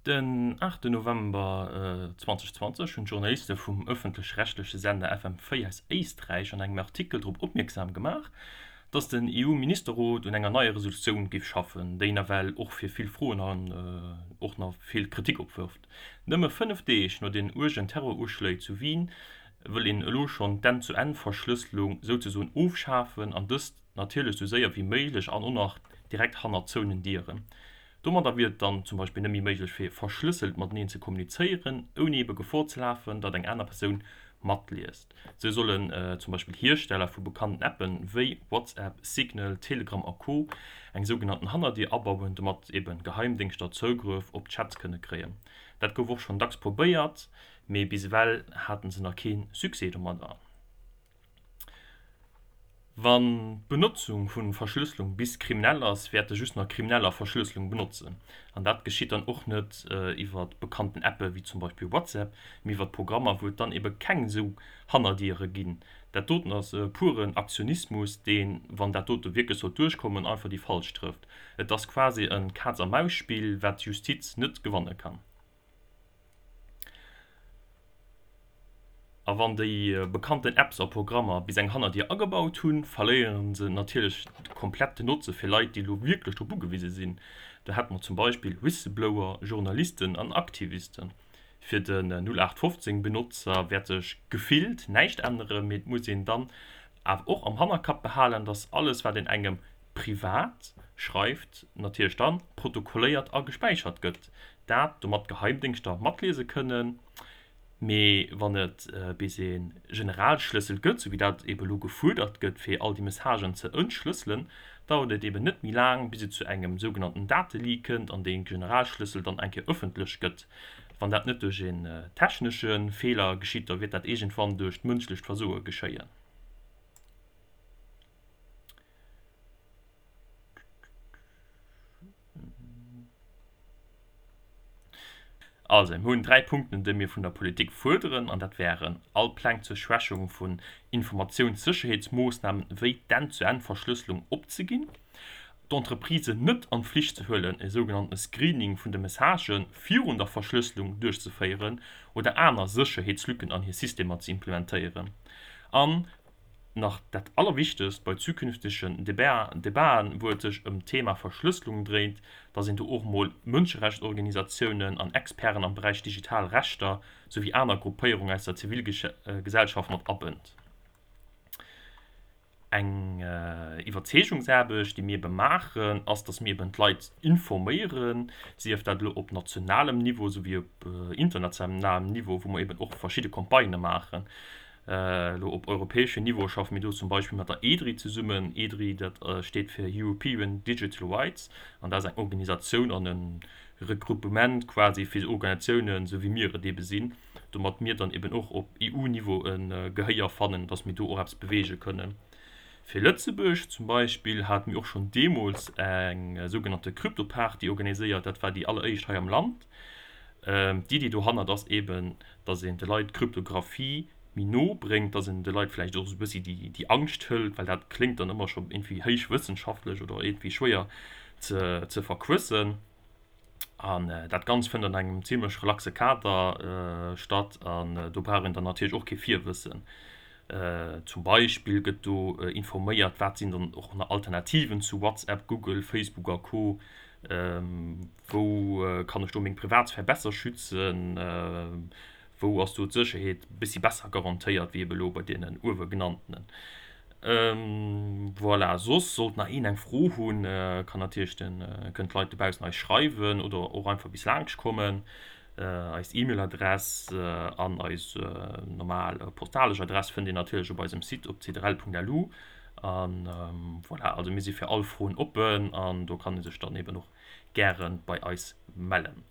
Den 8 November 2020 hunn d'Journaliste vum ëffentlech-rechtleche Sender FM4 aus Éisträich an engem Artikel drop opmierksam gemaach, datt den EU-Ministerrot un enger neier Resolutioun géif schaffen, déi nawell och fir vill Froen an och nach vill Kritik opwërft. Nëmme 5 Deeg no den uergen Terroruschléi zu Wien wëll een elo schonn d'Enn-zu-Enn-Verschlësselung souzesoen ofschafen an dëst natierlech sou séier wéi méiglech an och nach direkt hannert zouenen Dieren. Domadder wier et dann zum Beispill net méi méiglech fir verschlësselt mateneen ze kommunizéieren, ouni ebe Gefor ze lafen, datt eng aner Persoun matliest. Sou sollen zum Beispill Hiersteller vu bekannten Appen wéi WhatsApp, Signal, Telegram a Co. Eng sougenannten Hannerdier abauen, domat ebe Geheimdéngschter Zougrëff op d'Chats kënne kréien. Dat gouf och schonn dacks probéiert, mee bis ewell haten se nach kee Succès domadder. Wann d'Benotzung vu Verschlësselung bis kriminell ass, wäerte just nach Krimineller Verschlësselung benotzen. An dat geschitt dann och net iwwer bekannten Appe wéi zum Beispill WhatsApp, mee iwwer Programmer, wou et dann ebe keng esou Hannerdiere ginn. Dat doten ass puren Aktionismus, deen, wann dat dote wierklech sollt duerchkommen, einfach déi Falsch trëfft. Et ass quasi e Kaz-a-Maus-Spill, wat d'Justiz net gewanne kann. A wann déi bekannten Apps a Programmer bis eng Hannerdier agebaut hunn, verléiere se natierlech komplett den Notze fir Leit, déi elo wierklech drop ugewise sinn. Do hätte mer zum Beispill Whistleblower, Journalisten an Aktivisten. Fir den 0815 Benotzer wäert sech gefillt näischt änneren, mee et muss een dann awer och am Hannerkapp behalen, dass alles wat een engem privat schreift, natierlech dann protokolléiert a gespäichert gëtt. Dat domat d'Geheimdéngschter matliese kënnen. Mee wann et bis ee Generalschlëssel gëtt, sou wéi dat ebe lo gefuerdert gëtt, fir all déi Messagen ze entschlësselen, dauert et eben net méi laang, bis et zu engem sougenannten Dateleak kënnt an dee Generalschlëssel dann eng Kéier ëffentlech gëtt. Wann dat net duerch een technesche Feeler geschitt, da wäert dat iergendwann duerch d'mënschlecht Versoe geschéien. Also, mir hunn 3 Punkten, déi mir vun der Politik fuerderen, an dat wären, all Pläng zur Schwächung vun Informatiounssécherheetsmoossnamen wéi d'Enn-zu-Enn-Verschlësselung opzeginn, d'Entreprisen net an d'Flicht ze huelen, e sougenannte Screening vun de Messagë virun der Verschlësselung duerchzeféieren oder aner Sécherheetslücken an hir Systemer ze implementéieren, an nach dat Allerwichtegst bei zukünftegen Debaten, wou et sech ëm d'Thema Verschlësselung dréint, dass een do och mol Mënscherechtsorganisatiounen an Experten am Beräich digital Rechter souwéi aner Gruppéierungen aus der Zivilgesellschaft mat abënnt. Eng Iwwerzeegungsaarbecht, déi mir ebe maachen, ass, dass mir eben d'Leit informéieren, sief dat elo op nationalem Niveau souwéi op internationalem Niveau, wou mer eben och verschidde Campagnë maachen. Elo op europäeschem Niveau schaffe mir do zum Beispill mat der EDRI zesummen. EDRI, dat steet fir European Digital Rights an dat ass eng Organisatioun an e Regroupement quasi fir Organisatiounen, esou wéi mir et eebe sinn, domat mir dann eeben och op EU-Niveau e Gehéier fannen, dass mir do och eppes beweege kënnen. Fir Lëtzebuerg zum Beispill hate mir och schonn deemools eng sougenannte Kryptoparty organiséiert. Dat war déi alleréischt hei am Land. D'Iddi dohannert ass eeben, dass een de Leit d'Kryptographie méi no bréngt, dass een de Leit vläicht och esou e bëssi déi Angscht hëlt, well dat kléngt dann ëmmer scho iergendwéi héich wëssenschaftlech oder iergendwéi schwéier ze verquëssen. An dat Ganzt fënnt an engem zimmlech relaxe Kader statt an do brauch een dann natierlech och kee Virwëssen. Zum Beispill gëtt do informéiert, wat sinn dann och nach Alternativen zu WhatsApp, Google, Facebook a Co. Wou kann ech do meng Privatsphär besser schützen? Wou ass do d'Sécherheet e bëssi besser garantéiert wéi ebe lo bei deenen uewe genanntenen? Voilà, soss sollt nach een eng Fro hunn, kann natierlech den, kënnen d'Leit dobaussen eis schreiwen oder och einfach bis laanscht kommen. Eis E-Mail-Adress an eis normal postalesch Adress fënnt Dir natierlech op eisem Site op cdrl.lu. An voilà, also mir si fir all Froen oppen an do kann ee sech dann eben och gäre bei eis mellen.